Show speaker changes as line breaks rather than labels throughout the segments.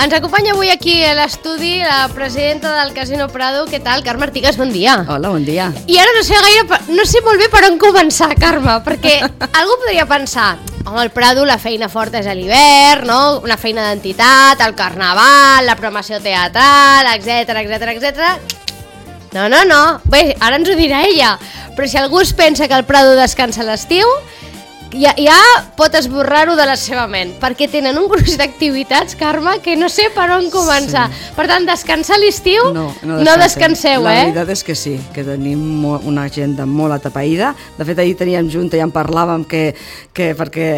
Ens acompanya avui aquí a l'estudi la presidenta del Casino Prado. Què tal, Carme Artigas? Bon dia.
Hola, bon dia.
I ara no sé molt bé per on començar, Carme, perquè algú podria pensar, home, el Prado la feina forta és a l'hivern, no? Una feina d'entitat, el carnaval, la programació teatral, etc. No. Bé, ara ens ho dirà ella. Però si algú es pensa que el Prado descansa a l'estiu, ja pot esborrar-ho de la seva ment, perquè tenen un gruix d'activitats, Carme, que no sé per on començar. Sí. Per tant, descansar a l'estiu no descanseu,
La veritat és que sí, que tenim una agenda molt atapeïda. De fet, ahir teníem junta i en parlàvem perquè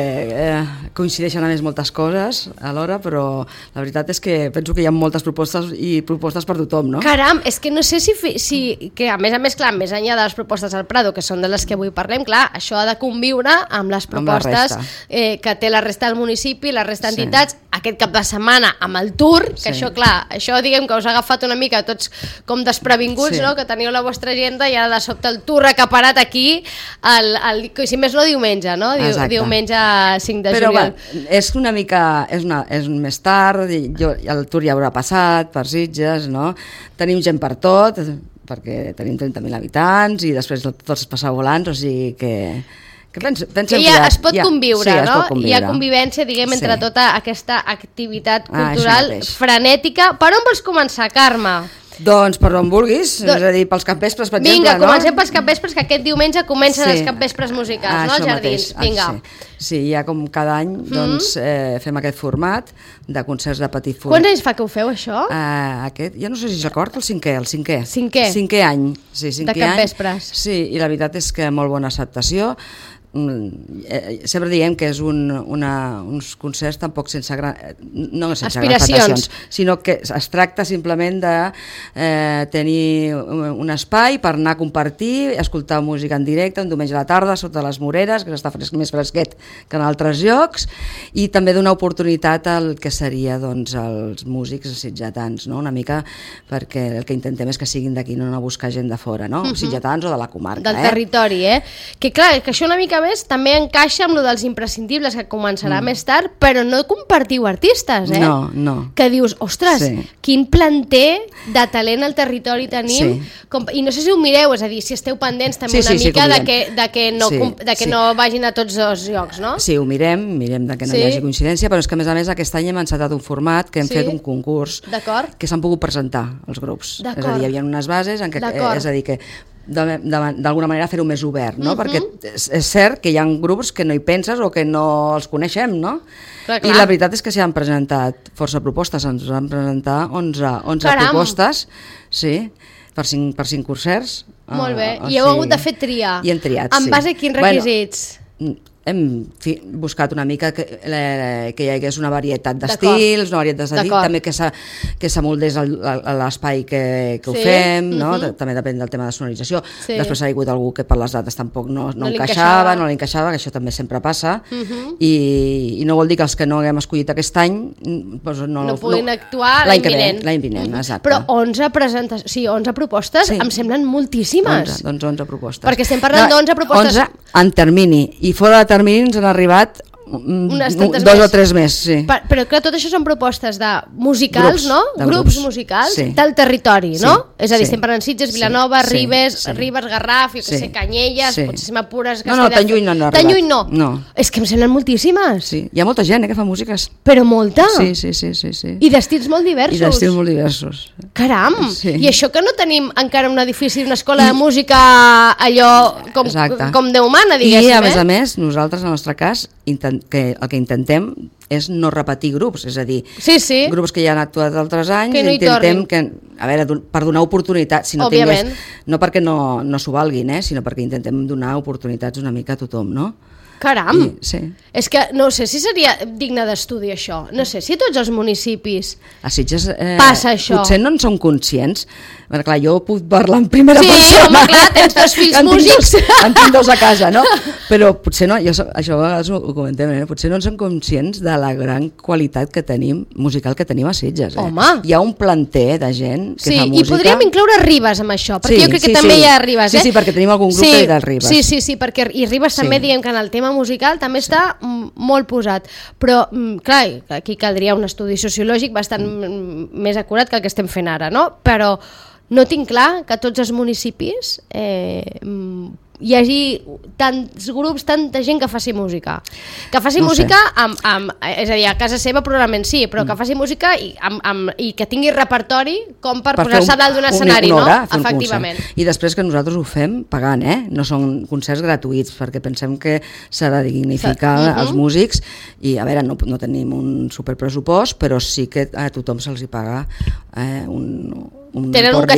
coincideixen a més moltes coses alhora, però la veritat és que penso que hi ha moltes propostes per tothom, no?
Caram, és que no sé si que a més, clar, més enllà de les propostes del Prado, que són de les que avui parlem, clar, això ha de conviure amb les propostes que té la resta del municipi, la resta d'entitats, aquest cap de setmana amb el tour, que això, clar, això diguem que us ha agafat una mica tots com desprevinguts, no? Que teniu la vostra agenda i ara de sobte el tour acaparat aquí, si més no diumenge, no? Diumenge 5 de juliol.
Però és una mica, és més tard, el tour ja haurà passat per Sitges, no? Tenim gent per tot, perquè tenim 30.000 habitants i després tots passar volants, o sigui que
ja es pot conviure, no? Hi ha convivència, diguem, entre tota aquesta activitat cultural frenètica. Per on vols començar, Carme?
Doncs per on vulguis, és a dir, pels capvespres, per exemple,
no? Vinga, comencem pels capvespres, que aquest diumenge comencen els capvespres musicals, no? Els jardins, vinga.
Sí, ja com cada any fem aquest format de concerts de petit format.
Quants anys fa que ho feu, això?
Ja no sé si s'acord, el cinquè.
Cinquè any
de
capvespres.
Sí, i la veritat és que molt bona acceptació. Sempre diem que és uns concerts tampoc sense grans expectacions, sinó que es tracta simplement de tenir un espai per anar a compartir, escoltar música en directe un diumenge a la tarda sota les Moreres, que està més fresquet que en altres llocs, i també donar oportunitat al que seria els músics sitgetans, no? Una mica perquè el que intentem és que siguin d'aquí, no anar a buscar gent de fora, no? Sitgetans o de la comarca,
del territori, que clar, que això una mica més també encaixa amb lo dels imprescindibles, que començarà més tard, però no compartiu artistes,
No.
Que dius, ostres, quin planter de talent al territori tenim, i no sé si ho mireu, és a dir, si esteu pendents també una mica que no vagin a tots els llocs, no?
Sí, ho mirem que no hi hagi coincidència, però és que a més aquest any hem encetat un format que hem fet un concurs que s'han pogut presentar els grups, és a dir, hi havia unes bases en què, és a dir, que d'alguna manera fer-ho més obert, no? Perquè és cert que hi ha grups que no hi penses o que no els coneixem, no? Clar. I la veritat és que s'hi han presentat força propostes, ens van presentar 11 propostes, per 5 concerts.
Molt bé, i heu hagut de fer triar.
I hem triat,
En base a quins requisits?
Hem buscat una mica que hi hagués una varietat d'estils, també que s'amoldés l'espai que ho fem, no? També depèn del tema de sonorització. Després ha hagut algú que per les dates tampoc no encaixava, que això també sempre passa, i no vol dir que els que no haguem escollit aquest any
no puguin actuar l'any
vinent, exacte.
Però 11 propostes em semblen moltíssimes.
11 propostes.
Perquè estem parlant d'11 propostes...
11 en termini, i fora de termini ens han arribat 2 o 3 més,
Però clar, tot això són propostes de musicals, no? Grups musicals del territori, no? És a dir, estem parlant Sitges, Vilanova, Ribes, Garraf, Canyelles, potser si m'apures...
No, tan lluny no han arribat.
Tan lluny no. És que em semblen moltíssimes.
Hi ha molta gent que fa músiques.
Però molta?
Sí.
I d'estils molt diversos. Caram! I això que no tenim encara un edifici d'una escola de música allò com Déu mana, diguéssim.
I a més, nosaltres, en el nostre cas, el que intentem és no repetir grups, és a dir, grups que ja han actuat altres anys, intentem per donar oportunitats, no perquè no s'ho valguin, sinó perquè intentem donar oportunitats una mica a tothom, no?
Caram! És que no sé si seria digne d'estudi això, no sé si a tots els municipis
a Sitges
passa això.
Potser no en som conscients, perquè clar, jo puc parlar en primera persona.
Sí, home, clar, tens 2 fills músics.
En tinc 2 a casa, no? Però potser no, això a vegades ho comentem, potser no en som conscients de la gran qualitat que tenim, musical que tenim a Sitges.
Home!
Hi ha un planter de gent que fa música.
I podríem incloure Ribes amb això, perquè jo crec que també hi ha Ribes.
Sí, perquè tenim algun grup que hi ha Ribes.
Sí, perquè i Ribes també diem que en el tema musical també està molt posat. Però, clar, aquí caldria un estudi sociològic bastant més acurat que el que estem fent ara, no? Però no tinc clar que a tots els municipis hi hagi tants grups, tanta gent que faci música. Que faci música és a dir, a casa seva probablement sí, però que faci música i que tingui repertori com per posar-se a dalt d'un escenari, no? Efectivament.
I després que nosaltres ho fem pagant, no són concerts gratuïts, perquè pensem que s'ha de dignificar els músics i, a veure, no tenim un superpressupost, però sí que a tothom se'ls hi paga un import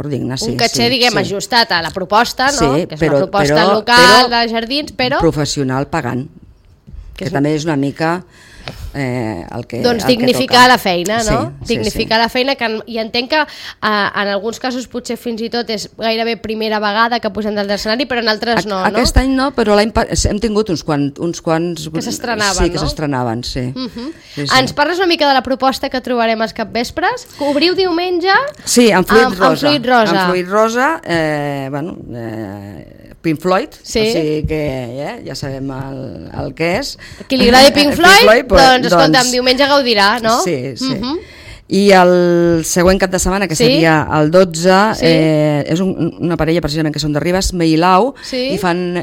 digne.
Un caché, diguem, ajustat a la proposta, no? Que és una proposta local de jardins, però...
professional pagant, que també és una mica el que
doncs dignificar la feina, no? Dignificar la feina, i entenc que en alguns casos potser fins i tot és gairebé primera vegada que posem dalt de l'escenari, però en altres no, no?
Aquest any no, però l'any hem tingut uns quants
que s'estrenaven,
sí, que s'estrenaven, sí.
Ens parles una mica de la proposta que trobarem als capvespres? Obriu diumenge
amb Fluid Rosa.
Amb
Fluid Rosa, Pink Floyd, o sigui que ja sabem el que és.
Qui li agradi Pink Floyd, doncs escolta'm, diumenge gaudirà, no?
Sí. I el següent cap de setmana, que seria el 12, és una parella precisament que són de Ribes, Meilau, i fan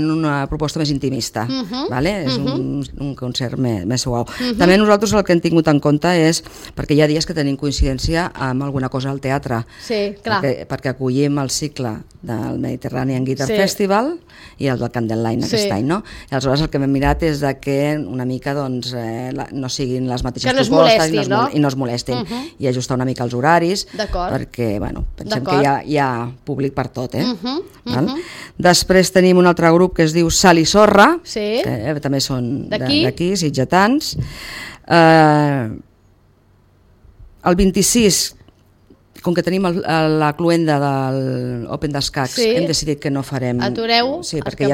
una proposta més intimista, és un concert més suau. També nosaltres el que hem tingut en compte és, perquè hi ha dies que tenim coincidència amb alguna cosa al teatre, perquè acollim el cicle del Mediterranean Guitar Festival i el del Candlelight aquest any, no? I aleshores el que hem mirat és que una mica no siguin les mateixes propostes i no es molestin, i ajustar una mica els horaris, perquè pensem que hi ha públic per tot. Després tenim un altre grup que es diu Sal i Sorra, que també són d'aquí, sitgetans. El 26, com que tenim la cluenda de l'Open d'Escacs, hem decidit que no farem...
Atureu?
Sí, perquè ja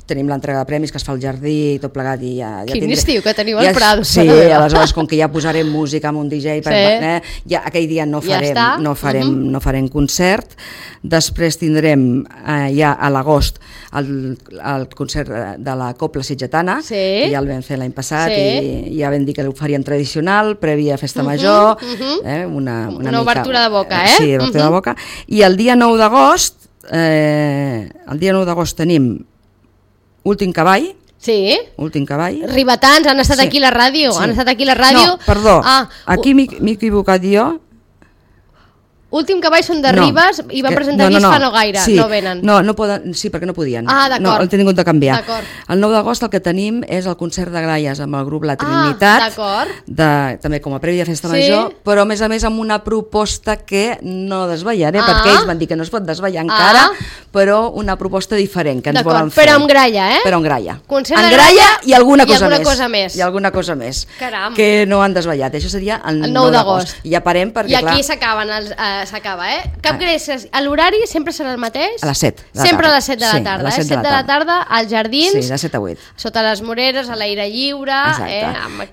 tenim l'entrega de premis que es fa al jardí i tot plegat i ja...
Quin estiu que teniu al Prado.
Sí, aleshores, com que ja posarem música amb un DJ, ja aquell dia no farem concert. Després tindrem ja a l'agost el concert de la Copla Sitgetana, que ja el vam fer l'any passat i ja vam dir que ho faríem tradicional, prèvia festa major,
una obertura de boca,
Sí, obertura de boca. I el dia 9 d'agost tenim Últim Cavall.
Sí.
Últim Cavall.
Ribetans, han estat aquí a la ràdio.
No, perdó, aquí m'he equivocat jo.
Últim Cavall són de Ribes i van presentar disc fa no gaire, no venen.
No poden, sí, perquè no podien.
D'acord.
No, el tenim de canviar. El 9 d'agost el que tenim és el concert de Gralles amb el grup La Trinitat, també com a prèvia festa major, però a més amb una proposta que no desvetllaré, perquè ells van dir que no es pot desvetllar encara, però una proposta diferent que ens volen fer.
Però amb gralla,
Però amb gralla.
Amb gralla
i alguna cosa
més.
I alguna cosa més.
Caram.
Que no han desvetllat. Això seria el 9 d'agost. I ja parem perquè,
clar... I aquí s'acaba, Cap greixes. L'horari sempre serà el mateix?
A les 7.
Sempre a les 7 de la tarda. 7 de la tarda als jardins.
Sí, de 7 a 8.
Sota les moreres, a l'aire lliure.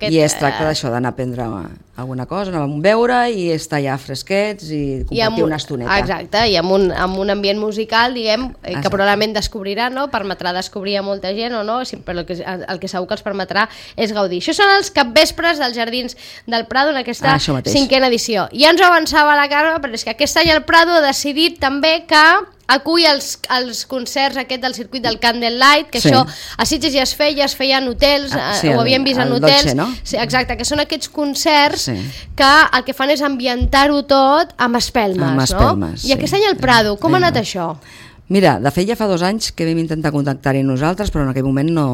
I es tracta d'això, d'anar a prendre alguna cosa, anar a beure i estar ja fresquets i compartir una estoneta.
Exacte, i amb un ambient musical, diguem, que probablement descobriran, no? Permetrà descobrir a molta gent o no, però el que segur que els permetrà és gaudir. Això són els capvespres dels Jardins del Prado en aquesta 5a edició. Ja ens ho avançava la Carme, però és que aquest any el Prado ha decidit també que acull els concerts aquest del circuit del Candlelight, que això a Sitges ja es feia en hotels, ho havíem vist en hotels,
Dolce, no?
Sí, exacte, que són aquests concerts que el que fan és ambientar-ho tot amb espelmes, no? I aquest any el Prado, com ha anat això?
Mira, de fet ja fa 2 anys que vam intentar contactar-hi nosaltres, però en aquell moment no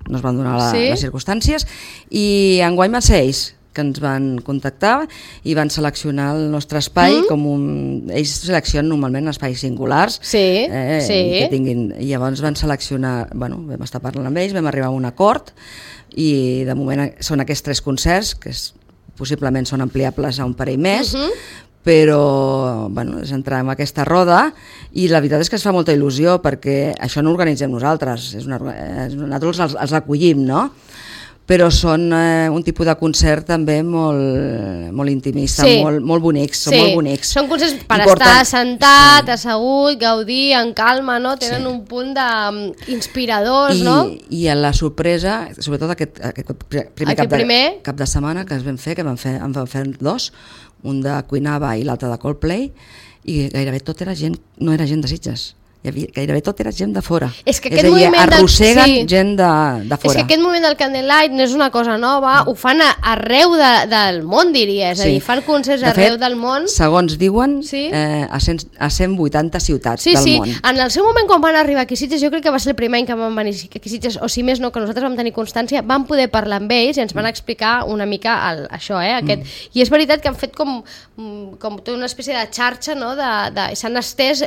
es van donar les circumstàncies, i enguany van ser ells que ens van contactar i van seleccionar el nostre espai ells seleccionen normalment espais singulars que tinguin, i llavors van seleccionar, vam estar parlant amb ells, vam arribar a un acord i de moment són aquests 3 concerts que possiblement són ampliables a un parell més, però és entrar en aquesta roda i la veritat és que es fa molta il·lusió perquè això no ho organitzem nosaltres, nosaltres els acollim, no? però són un tipus de concert també molt intimista, molt bonics, són molt bonics.
Són concerts per estar sentat, assegut, gaudir, en calma, no? Tenen un punt d'inspiradors, no?
I a la sorpresa, sobretot aquest primer cap de setmana que en vam fer dos, un de Queen Ava i l'altre de Coldplay, i gairebé tot era gent, no era gent de Sitges. Gairebé tot era gent de fora.
És que aquest moviment
arrosseguen gent de fora.
És que aquest moviment del Candlelight no és una cosa nova, ho fan arreu del món, diria. És a dir, fan concerts arreu del món.
Segons diuen, a 180 ciutats del món.
En el seu moment, quan van arribar aquí a Sitges, jo crec que va ser el primer any que van venir aquí a Sitges, o si més no, que nosaltres vam tenir constància, vam poder parlar amb ells i ens van explicar una mica això, I és veritat que han fet com tota una espècie de xarxa, no? S'han estès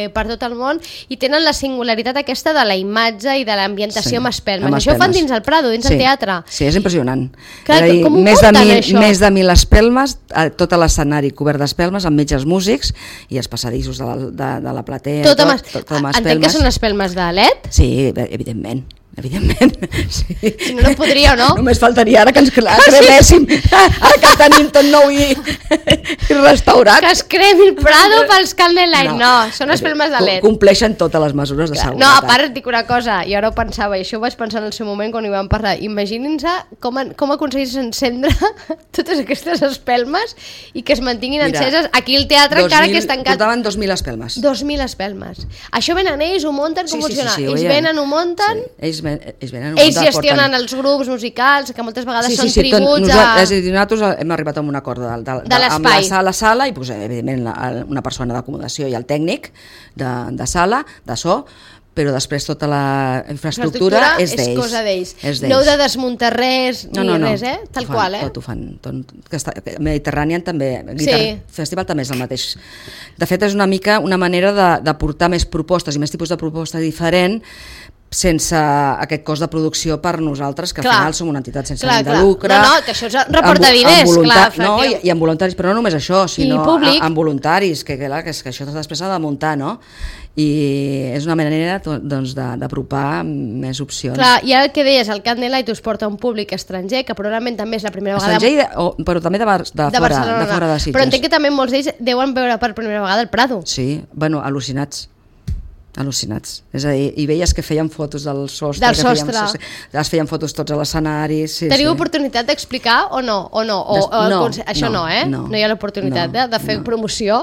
per tot el món, i tenen la singularitat aquesta de la imatge i de l'ambientació amb espelmes. Això ho fan dins el Prado, dins el teatre.
Sí, és impressionant.
Clar, com ho porten, això?
Més de 1.000 espelmes, tot l'escenari cobert d'espelmes, amb metges músics i els passadissos de la platea.
Entenc que són espelmes de LED?
Sí, evidentment. Sí.
Si no podria, no?
Només faltaria ara que ens creméssim, ara que tenim tot nou i restaurat.
Que es cremi el Prado pels Candlelight. No, són espelmes de LED.
Compleixen totes les mesures de seguretat.
No, a part et dic una cosa, i ara ho pensava, i això ho vaig pensar en el seu moment quan hi vam parlar. Imaginin-se com aconseguís encendre totes aquestes espelmes i que es mantinguin enceses aquí al teatre encara que és tancat.
Portaven 2.000 espelmes.
2.000 espelmes. Això venen ells, ho munten, com funciona? Ells venen, ho munten... Ells gestionen els grups musicals, que moltes vegades són tributs
nosaltres hem arribat a un acord
de l'espai.
Amb la sala i evidentment una persona d'acomodació i el tècnic de sala, de so, però després tota la infraestructura és d'ells.
És cosa d'ells. No heu de desmuntar res ni res, tal qual.
Tot ho fan. Mediterranean també, Guitar Festival també és el mateix. De fet, és una mica una manera de portar més propostes i més tipus de propostes diferent sense aquest cost de producció per nosaltres, que al final som una entitat sense ànim de lucre.
No, que això reporta diners, clar.
I amb voluntaris, però no només això, sinó amb voluntaris, que això després s'ha de muntar, no? I és una manera d'apropar més opcions.
Clar, i ara el que deies, el Candlelight us porta un públic estranger, que probablement també és la primera vegada...
Estranger, però també de fora de Sitges.
Però entenc que també molts d'ells deuen veure per primera vegada el Prado.
Sí, bueno, al·lucinats. És a dir, i veies que feien fotos del sostre, es feien fotos tots a l'escenari.
Teniu oportunitat d'explicar o no? Això no, no hi ha l'oportunitat de fer promoció.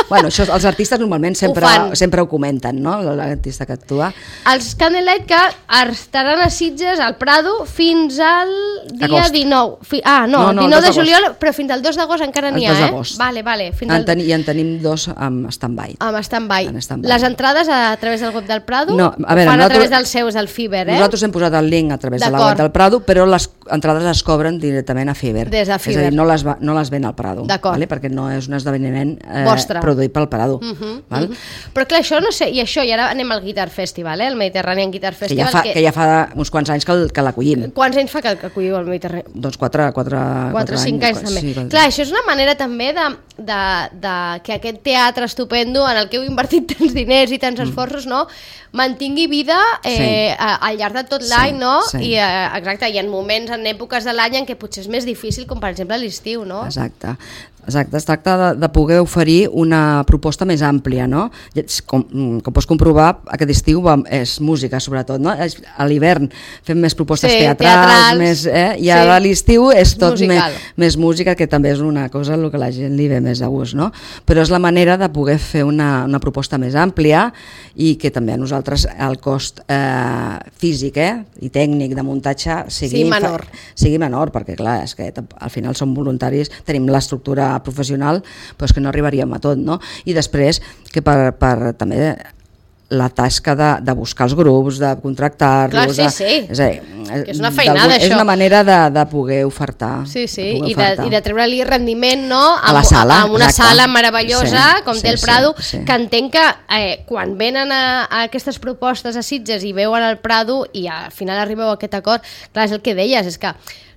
Bueno, això els artistes normalment sempre ho comenten, no? L'artista que actua.
Els Candlelight que estaran a Sitges, al Prado, fins al dia 19. 19 de juliol, però fins al 2 d'agost encara n'hi ha, Vale.
I en tenim dos amb stand-by.
Les entrades a través del web del Prado?
No,
a través dels seus, del Fiverr,
Nosaltres hem posat el link a través de la web del Prado, però les entrades es cobren directament a Fiverr.
Des de Fiverr.
És a dir, no les ven al Prado, perquè no és un esdeveniment produït pel Prado.
Però clar, això no sé, i ara anem al Guitar Festival, el Mediterranean Guitar Festival.
Que ja fa uns quants anys que l'acollim.
Quants anys fa que acolliu el Mediterranean?
Doncs 4 anys.
5 anys també. Clar, això és una manera també que aquest teatre estupendo en el que heu invertit tants diners i tants esforços, no? Mantingui vida al llarg de tot l'any, no? I exacte, hi ha moments en èpoques de l'any en què potser és més difícil, com per exemple l'estiu, no?
Exacte, es tracta de poder oferir una proposta més àmplia, no? Com pots comprovar, aquest estiu és música sobretot, no? A l'hivern fem més propostes teatrals, i ara a l'estiu és tot més música, que també és una cosa el que la gent li ve més a gust, no? Però és la manera de poder fer una proposta més àmplia i que també a nosaltres el cost físic i tècnic de muntatge sigui menor, perquè clar, és que al final som voluntaris, tenim l'estructura professional, però és que no arribaríem a tot, no? I després que per també la tasca de buscar els grups, de contractar-los...
Clar, que és una feinada, això.
És una manera de poder ofertar.
I de treure-li rendiment, no?
A la sala.
Amb una sala meravellosa, com té el Prado, que entenc que quan venen a aquestes propostes a Sitges i veuen el Prado i al final arribeu a aquest acord, clar, és el que deies, és que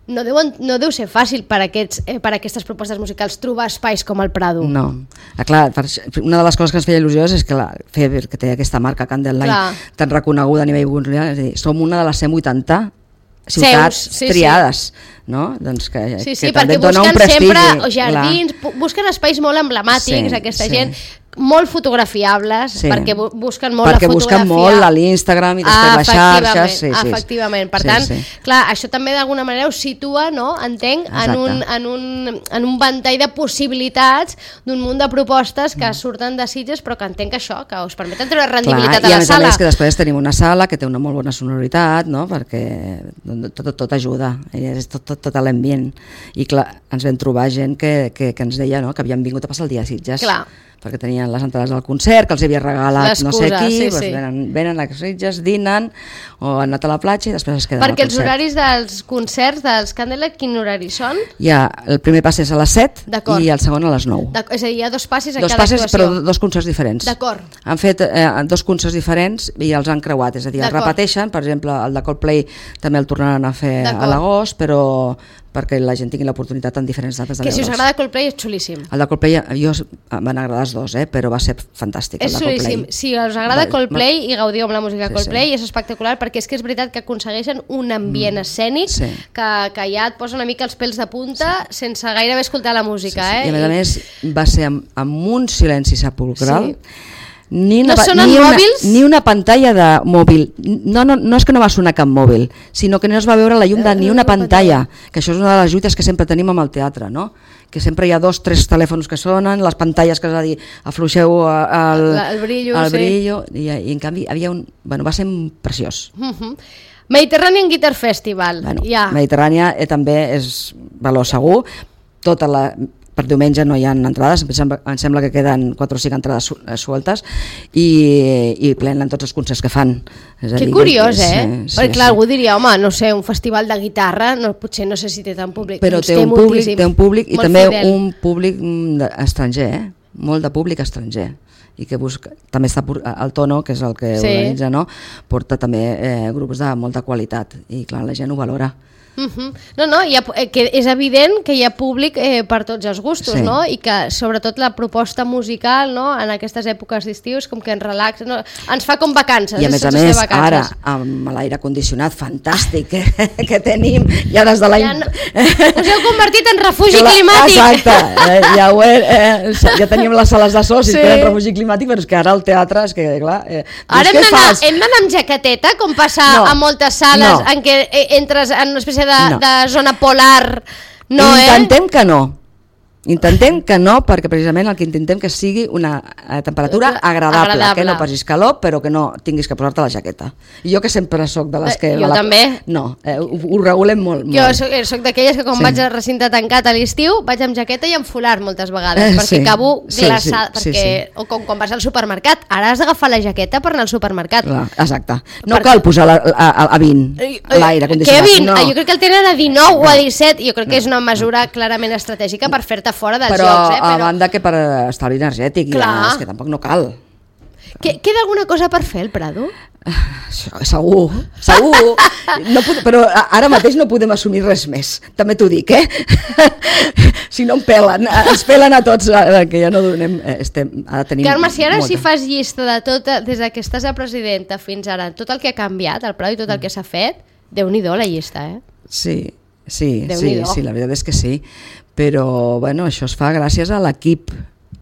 no deu ser fàcil per aquestes propostes musicals trobar espais com el Prado.
No, clar, una de les coses que ens feia il·lusió és que la Feber, que té aquesta marca Candlelight tan reconeguda a nivell mundial, és a dir, som una de les 180 ciutats triades. No? Doncs que
perquè busquen sempre jardins, busquen espais molt emblemàtics, aquesta gent, molt fotografiables, perquè busquen molt la fotografia. Perquè busquen molt
a l'Instagram i després les xarxes.
Efectivament, per tant, clar, això també d'alguna manera us situa, no? Entenc, en un ventall de possibilitats d'un munt de propostes que surten de Sitges, però que entenc que això, que us permeten treure rendibilitat a la sala.
I a més que després tenim una sala que té una molt bona sonoritat, no? Perquè tot ajuda, és tot l'ambient. I clar, ens vam trobar gent que ens deia que havien vingut a passar el dia a Sitges.
Clar.
Perquè tenien les entrades del concert, que els havia regalat no sé qui, venen a Sitges, dinen o han anat a la platja i després es queden al concert.
Perquè els horaris dels concerts dels Candlelight, quin horari són?
El primer pas és a les 7 i el segon a les 9.
És a dir, hi ha 2 passes a cada actuació.
Però 2 concerts diferents.
D'acord.
Han fet 2 concerts diferents i els han creuat, és a dir, els repeteixen, per exemple, el de Coldplay també el tornaran a fer a l'agost, però perquè la gent tingui l'oportunitat en diferents dates de veure'ls.
Que si us agrada Coldplay és xulíssim.
El de Coldplay, m'han agradat els 2, però va ser fantàstic.
És xulíssim. Si us agrada Coldplay i gaudiu amb la música Coldplay, és espectacular, perquè és que és veritat que aconsegueixen un ambient escènic que ja et posa una mica els pèls de punta sense gairebé escoltar la música.
I a més va ser amb un silenci sepulcral. Ni una pantalla de mòbil, no és que no va sonar cap mòbil, sinó que no es va veure la llum de ni una pantalla, que això és una de les lluites que sempre tenim amb el teatre, no? Que sempre hi ha 2 o 3 telèfons que sonen, les pantalles que és a dir, afluixeu el brillo, i en canvi va ser preciós.
Mediterranean Guitar Festival.
Mediterrània també és valor segur, per diumenge no hi ha entrades, em sembla que queden 4 o 5 entrades sueltes i plenen tots els concerts que fan.
Que curiós, perquè clar, algú diria, home, no sé, un festival de guitarra, potser no sé si té tant públic.
Però té un públic i també un públic estranger, molt de públic estranger. I que també està el Tono, que és el que organitza, porta també grups de molta qualitat i clar, la gent ho valora.
Que és evident que hi ha públic per tots els gustos, i que sobretot la proposta musical en aquestes èpoques d'estiu és com que ens relaxa, ens fa com vacances.
I a més, ara amb l'aire condicionat fantàstic que tenim ja des de l'any...
Us heu convertit en refugi climàtic.
Exacte, ja teníem les sales de socis que eren refugi climàtic, però és que ara el teatre és que, clar...
Ara hem d'anar amb jaqueteta, com passa a moltes sales en què entres en una espècie de zona polar,
Intentem que no, perquè precisament el que intentem que sigui una temperatura agradable, que no passis calor, però que no tinguis que posar-te la jaqueta. I jo que sempre soc de les que...
Jo també.
No, ho regulem molt.
Jo soc d'aquelles que quan vaig al recinte tancat a l'estiu vaig amb jaqueta i amb folar moltes vegades, perquè acabo glaçada, o com quan vas al supermercat, ara has d'agafar la jaqueta per anar al supermercat.
Exacte. No cal posar a 20 l'aire condicionat.
Que a 20? Jo crec que el tenen a 19 o a 17, jo crec que és una mesura clarament estratègica per fer-te fora dels jocs.
Però a banda que per estalvi energètic, és que tampoc no cal.
Queda alguna cosa per fer al Prado?
Segur. Però ara mateix no podem assumir res més, també t'ho dic, si no ens pelen a tots, que ja no donem...
Carme, si ara si fas llista de tot, des que estàs a presidenta fins ara, tot el que ha canviat al Prado i tot el que s'ha fet, Déu-n'hi-do la llista,
Sí, la veritat és que sí, però això es fa gràcies a l'equip,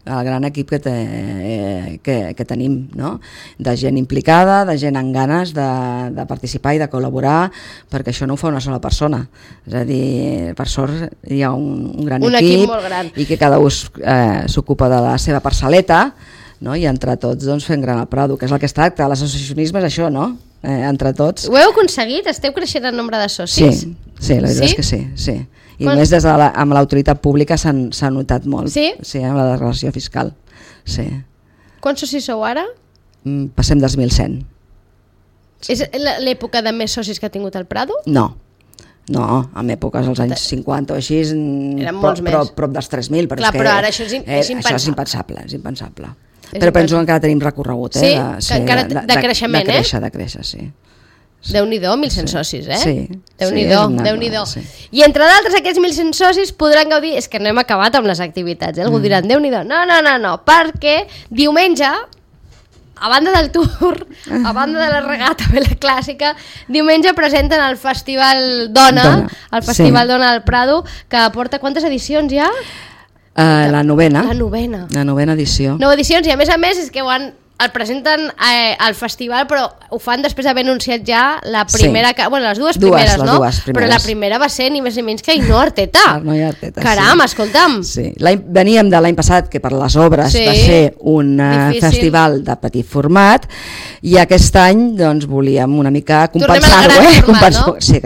al gran equip que tenim, de gent implicada, de gent amb ganes de participar i de col·laborar, perquè això no ho fa una sola persona, és a dir, per sort hi ha un gran equip
molt gran.
I que cada un s'ocupa de la seva parcel·leta, i entre tots fem gran el Prado, que és el que es tracta. L'associacionisme és això, entre tots.
Ho heu aconseguit? Esteu creixent en nombre de socis?
Sí, la veritat és que sí. I més amb l'autoritat pública s'ha notat molt.
Sí,
amb la declaració fiscal. Sí.
Quants socis sou ara?
Passem dels 1.100.
És l'època de més socis que ha tingut el Prado?
No, en èpoques dels anys 50 o així, prop dels 3.000.
Però ara això és impensable.
Això és impensable. Però penso que encara tenim recorregut.
Sí, encara de creixement,
de créixer, sí.
Déu-n'hi-do, 1.100 socis,
Sí.
Déu-n'hi-do. I entre d'altres aquests 1.100 socis podran gaudir, és que no hem acabat amb les activitats, algú diran, Déu-n'hi-do, no, perquè diumenge a banda del tour, a banda de la regata Vela Clàssica, diumenge presenten el Festival Dona, el Festival Dona del Prado, que porta quantes edicions ja?
La novena.
La
novena edició.
9 edicions, i a més és que el presenten al festival, però ho fan després d'haver anunciat ja la primera... Bueno, les dues primeres, no? Però la primera va ser ni més ni menys que Ainhoa Arteta. Caram, escolta'm.
Sí. Veníem de l'any passat, que per les obres va ser un festival de petit format, i aquest any doncs volíem una mica compensar-ho. Sí,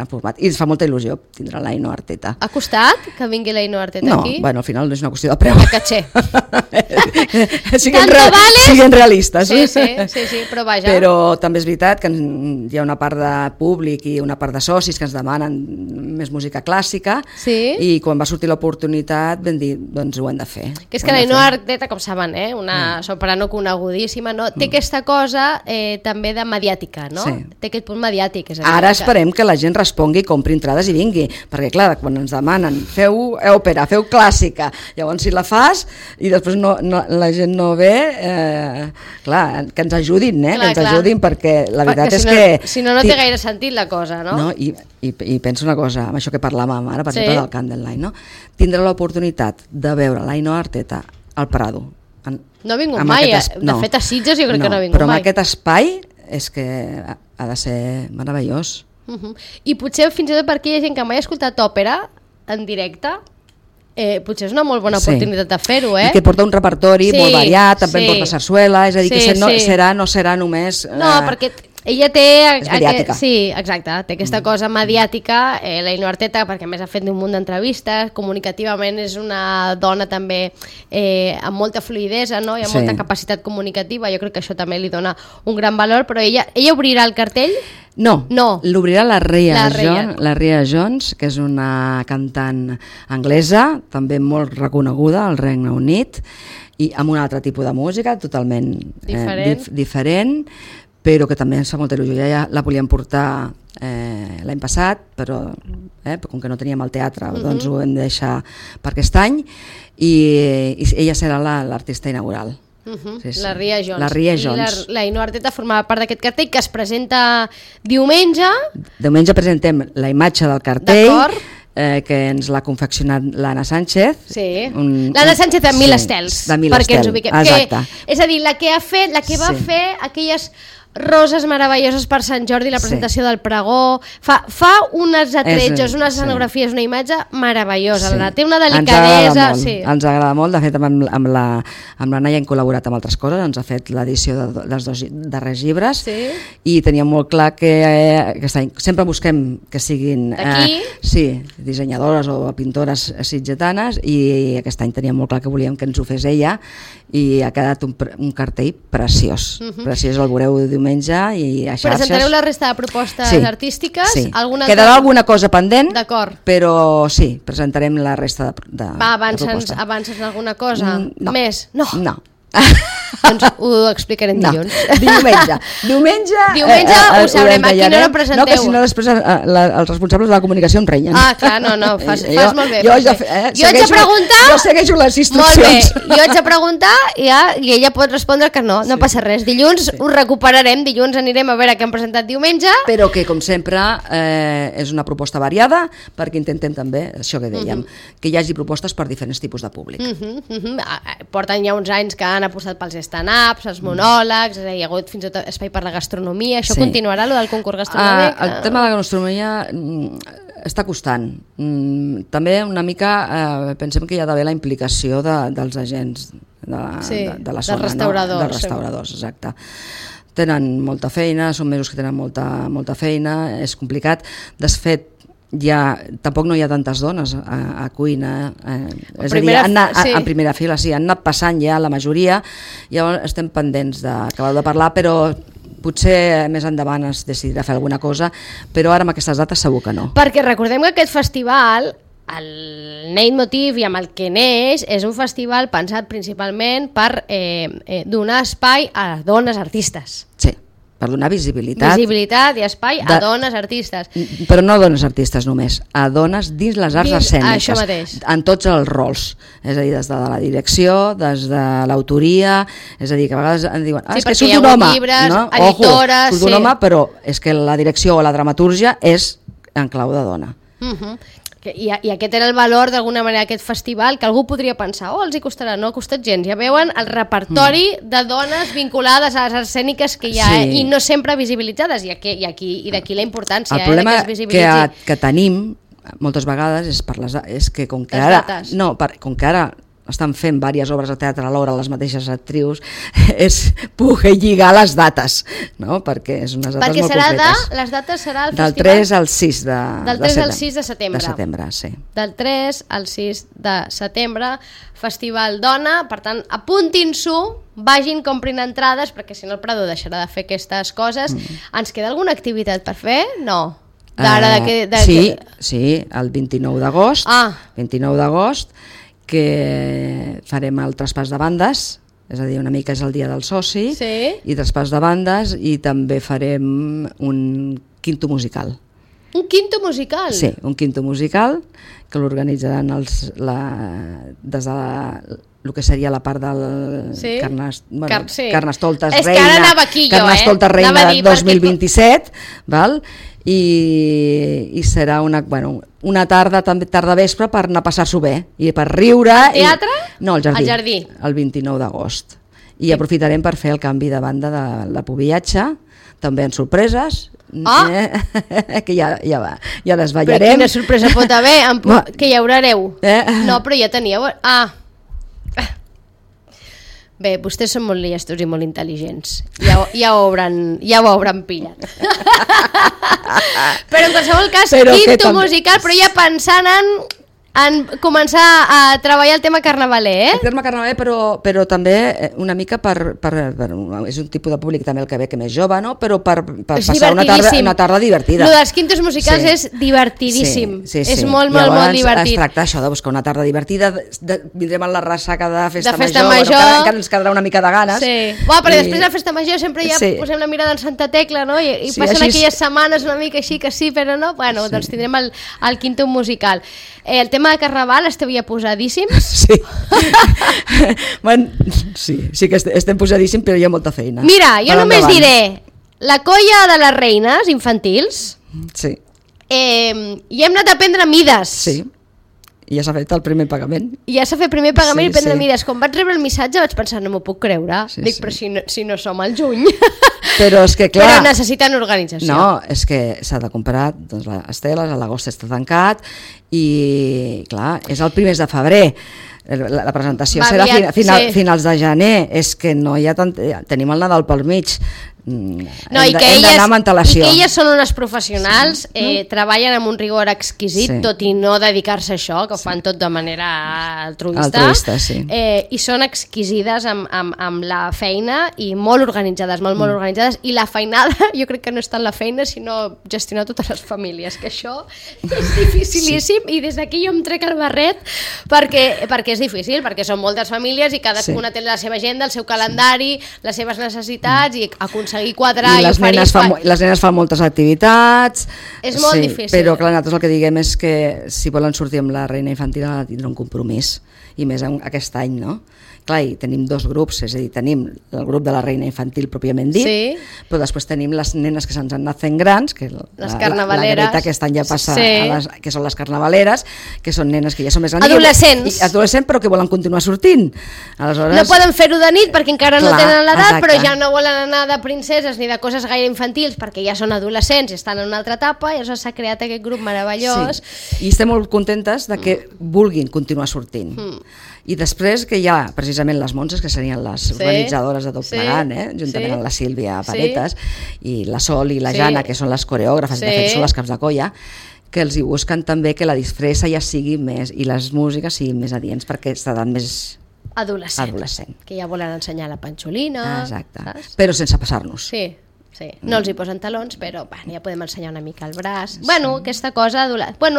format. I ens fa molta il·lusió tindre l'Ainhoa Arteta.
Ha costat que vingui l'Ainhoa Arteta aquí?
No, bueno, al final no és una qüestió de preu.
De caché.
Siguin realistes.
Sí, però vaja.
Però també és veritat que hi ha una part de públic i una part de socis que ens demanen més música clàssica, i quan va sortir l'oportunitat vam dir, doncs ho hem de fer.
Que és que l'Ainhoa Arteta, com saben, una soprano conegudíssima, té aquesta cosa també de mediàtica, no? Té aquest punt mediàtic.
Ara esperem que la gent respongui, compri entrades i vingui, perquè clar, quan ens demanen feu òpera, feu clàssica, llavors si la fas i després la gent no ve, clar, que ens ajudin, que ens ajudin, perquè la veritat és que...
Si no té gaire sentit la cosa, no?
I penso una cosa, amb això que parlàvem ara, per exemple, del Candlelight, no? Tindre l'oportunitat de veure l'Ainhoa Arteta al Prado.
No ha vingut mai, de fet a Sitges jo crec que no ha vingut mai.
Però amb aquest espai és que ha de ser meravellós.
I potser fins i tot per aquella gent que mai ha escoltat òpera en directe, potser és una molt bona oportunitat de fer-ho,
I que porta un repertori molt variat, també porta sarsuela, és a dir, que no serà només...
No, perquè ella té...
És mediàtica.
Sí, exacte, té aquesta cosa mediàtica, l'Ainhoa Arteta, perquè a més ha fet un munt d'entrevistes, comunicativament és una dona també amb molta fluïdesa, no? I amb molta capacitat comunicativa, jo crec que això també li dona un gran valor, però ella obrirà el cartell?
No, l'obrirà la Rhea Jones, que és una cantant anglesa, també molt reconeguda al Regne Unit, i amb un altre tipus de música, totalment diferent, però que també ens fa molta il·lusió. Ja la volíem portar l'any passat, però com que no teníem el teatre, doncs ho hem de deixar per aquest any, i ella serà l'artista inaugural.
La Rhea Jones. I l'Ainhoa Arteta formava part d'aquest cartell que es presenta diumenge.
Diumenge presentem la imatge del cartell, que ens l'ha confeccionat l'Anna Sánchez.
L'Anna Sánchez de Mil Estels, perquè ens ubiquem.
Exacte.
És a dir, la que va fer aquelles roses meravelloses per Sant Jordi, la presentació del pregó, fa unes atretjos, unes escenografies, una imatge meravellosa, té una delicadesa.
Ens agrada molt, de fet amb la Naia hem col·laborat amb altres coses, ens ha fet l'edició dels 2 darrers llibres, i teníem molt clar que aquest any sempre busquem que siguin dissenyadores o pintores sitgetanes, i aquest any teníem molt clar que volíem que ens ho fes ella, i ha quedat un cartell preciós. Preciós, el veureu diumenge i a xarxes.
Presentareu la resta de propostes artístiques?
Quedarà alguna cosa pendent, però sí, presentarem la resta de propostes.
Avances alguna cosa? Més? No. Doncs ho explicarem dilluns. Diumenge ho sabrem. A quina hora presenteu?
No, que si no després els responsables de la comunicació em renyen.
Clar, fas molt bé. Jo
segueixo les instruccions.
Molt bé, jo haig de preguntar i ella pot respondre que no passa res. Dilluns ho recuperarem, dilluns anirem a veure què han presentat diumenge.
Però que, com sempre, és una proposta variada, perquè intentem també, això que dèiem, que hi hagi propostes per diferents tipus de públic.
Porten ja uns anys que han apostat pels stand-ups, els monòlegs, hi ha hagut fins i tot espai per la gastronomia. Això continuarà, el del concurs gastronòmic?
El tema de la gastronomia està costant. També una mica pensem que hi ha d'haver la implicació dels agents de la zona, dels restauradors, exacte. Tenen molta feina, són mesos que tenen molta feina, és complicat. De fet, tampoc no hi ha tantes dones a cuina, és a dir, en primera fila, han anat passant ja la majoria, llavors estem pendents d'acabar de parlar, però potser més endavant es decidirà fer alguna cosa, però ara amb aquestes dates segur que no.
Perquè recordem que aquest festival, el leitmotiv i amb el que neix, és un festival pensat principalment per donar espai a les dones artistes.
Sí. per donar visibilitat.
Visibilitat i espai a dones artistes.
Però no a dones artistes només, a dones dins les arts escèniques.
Això mateix.
En tots els rols. És a dir, des de la direcció, des de l'autoria, és a dir, que a vegades em diuen és que surt un home,
llibres,
no?
editores...
Surt un home, però és que la direcció o la dramatúrgia és en clau de dona.
I aquest era el valor d'alguna manera d'aquest festival, que algú podria pensar, els hi costarà, no ha costat gens, ja veuen el repertori de dones vinculades a les escèniques que hi ha, i no sempre visibilitzades, i d'aquí la importància.
El problema que tenim moltes vegades és que com que ara estan fent diverses obres de teatre alhora les mateixes actrius, és poder lligar les dates, no? Perquè és unes dates molt concretes.
Les dates serà el
del
festival...
3 al 6 de
Del 3 al 6 de setembre.
De setembre, sí.
Del 3 al 6 de setembre, Festival Dona, per tant, apuntin-s'ho, vagin, comprin entrades, perquè si no el Prado deixarà de fer aquestes coses. Ens queda alguna activitat per fer? No.
Sí, el 29 d'agost. 29 d'agost, que farem el traspàs de bandes, és a dir, una mica és el dia del soci, i traspàs de bandes, i també farem un quinto musical.
Un quinto musical?
Sí, un quinto musical, que l'organitzaran des de el que seria la part del Carnestoltes Reina 2027, val? I serà una tarda vespre per anar a passar-s'ho bé i per riure.
Al teatre?
No, al jardí. El 29 d'agost. I aprofitarem per fer el canvi de banda de la Pubiatge, també en sorpreses, que ja desballarem.
Però quina sorpresa pot haver? Que hi haureu? No, però ja teníeu... Bé, vostès són molt llestos i molt intel·ligents. Ja ho hauran pillat. Però en qualsevol cas, quinto musical, però ja pensant en començar a treballar el tema carnavaler,
El tema carnavaler, però també una mica és un tipus de públic també el que ve que més jove, no? Però per passar una tarda divertida.
Lo dels quintos musicals és divertidíssim. És molt divertit.
Es tracta això de buscar una tarda divertida, vindrem a la ressaca de festa major, encara ens quedarà una mica de ganes.
Però després de la festa major sempre ja posem la mirada en Santa Tecla, no? I passen aquelles setmanes una mica així que sí, però no. Bueno, doncs tindrem el quinto musical. El tema de Carnaval esteu ja posadíssims?
Sí que estem posadíssims, però hi ha molta feina.
Mira, jo només diré, la colla de les reines infantils, i hem anat a prendre mides.
Sí, i ja s'ha fet el primer pagament.
I prendre mides. Quan vaig rebre el missatge vaig pensar, no m'ho puc creure. Dic, però si no som al juny.
Però és que clar...
Però necessiten organització.
No, és que s'ha de comprar les teles, a l'agost està tancat, i clar, és el primer de febrer. La presentació serà finals de gener. És que no hi ha tant... Tenim el Nadal pel mig.
I que elles són unes professionals, treballen amb un rigor exquisit, tot i no dedicar-se a això, que ho fan tot de manera altruista, i són exquisides amb la feina i molt organitzades, molt organitzades, i la feinada, jo crec que no és tant la feina sinó gestionar totes les famílies, que això és dificilíssim, i des d'aquí jo em trec el barret perquè és difícil, perquè són moltes famílies i cadascuna té la seva agenda, el seu calendari, les seves necessitats, i aconseguir quadrar i
les nenes fan moltes activitats,
és molt difícil,
però clar, nosaltres el que diguem és que si volen sortir amb la reina infantil ha de tindre un compromís, i més aquest any, no? Clar, i tenim dos grups, és a dir, tenim el grup de la reina infantil pròpiament dit, però després tenim les nenes que se'ns han anat fent grans, que
les carnavaleres,
la Greta aquest any ja passa que són les carnavaleres, que són nenes que ja són més grans, adolescents, però que volen continuar sortint. Aleshores,
no poden fer-ho de nit perquè encara no tenen l'edat, però ja no volen anar de princeses ni de coses gaire infantils perquè ja són adolescents i estan en una altra etapa, i llavors s'ha creat aquest grup meravellós.
I estem molt contentes de que vulguin continuar sortint. I després que hi ha precisament les Montses, que serien les organitzadores de tot plegant, juntament amb la Sílvia Paretas, i la Sol i la Jana, que són les coreògrafes, de fet són les caps de colla, que els hi busquen també que la disfressa ja sigui més, i les músiques siguin més adients, perquè s'edat més adolescent,
que ja volen ensenyar la panxolina.
Exacte, però sense passar-nos.
Sí. No els hi posen talons, però ja podem ensenyar una mica el braç. Bueno, aquesta cosa...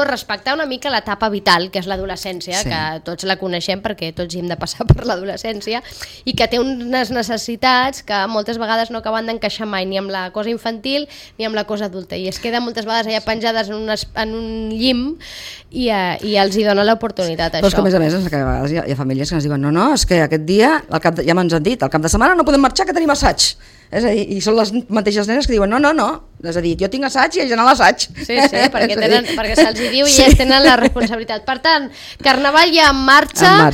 respectar una mica l'etapa vital, que és l'adolescència, que tots la coneixem perquè tots hi hem de passar per l'adolescència, i que té unes necessitats que moltes vegades no acaben d'encaixar mai ni amb la cosa infantil ni amb la cosa adulta, i es queden moltes vegades allà penjades en un llim i els hi dona l'oportunitat, això.
Però és que a més, a vegades hi ha famílies que ens diuen no, és que aquest dia, ja m'ens han dit, al cap de setmana no podem marxar, que tenim assaig. És a dir, i són les mateixes nenes que diuen no, és a dir, jo tinc assaig i haig d'anar a l'assaig.
Sí, perquè se'ls hi diu i ells tenen la responsabilitat. Per tant, Carnaval ja en marxa.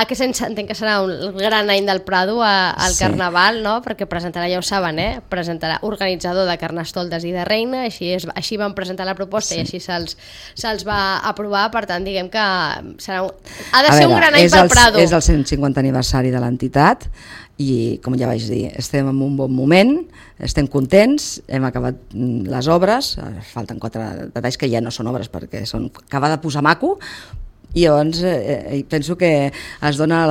Que entenc que serà un gran any del Prado al Carnaval, no? Perquè presentarà, ja ho saben, presentarà organitzador de Carnestoltes i de Reina, així van presentar la proposta i així se'ls va aprovar, per tant, diguem que ha de ser un gran any pel Prado.
És el 150 aniversari de l'entitat, i com ja vaig dir, estem en un bon moment, estem contents, hem acabat les obres, falten 4 detalls que ja no són obres perquè són acabar de posar maco, i llavors penso que es dona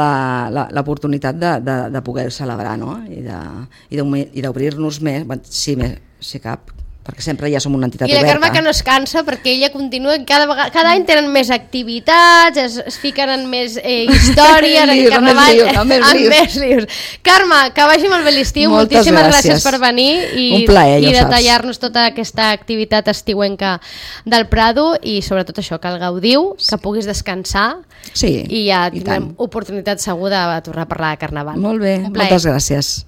l'oportunitat de poder celebrar, no? I d'obrir-nos més, si cap, perquè sempre ja som una entitat oberta.
I la Carme que no es cansa perquè ella continua, cada any tenen més activitats, es fiquen en més històries, en Carnaval, en més lius. Carme, que vagi molt bé l'estiu, moltíssimes gràcies per venir i detallar-nos tota aquesta activitat estiuenca del Prado, i sobretot això, que el gaudiu, que puguis descansar, i ja tindrem oportunitat segur de tornar a parlar de Carnaval.
Molt bé, moltes gràcies.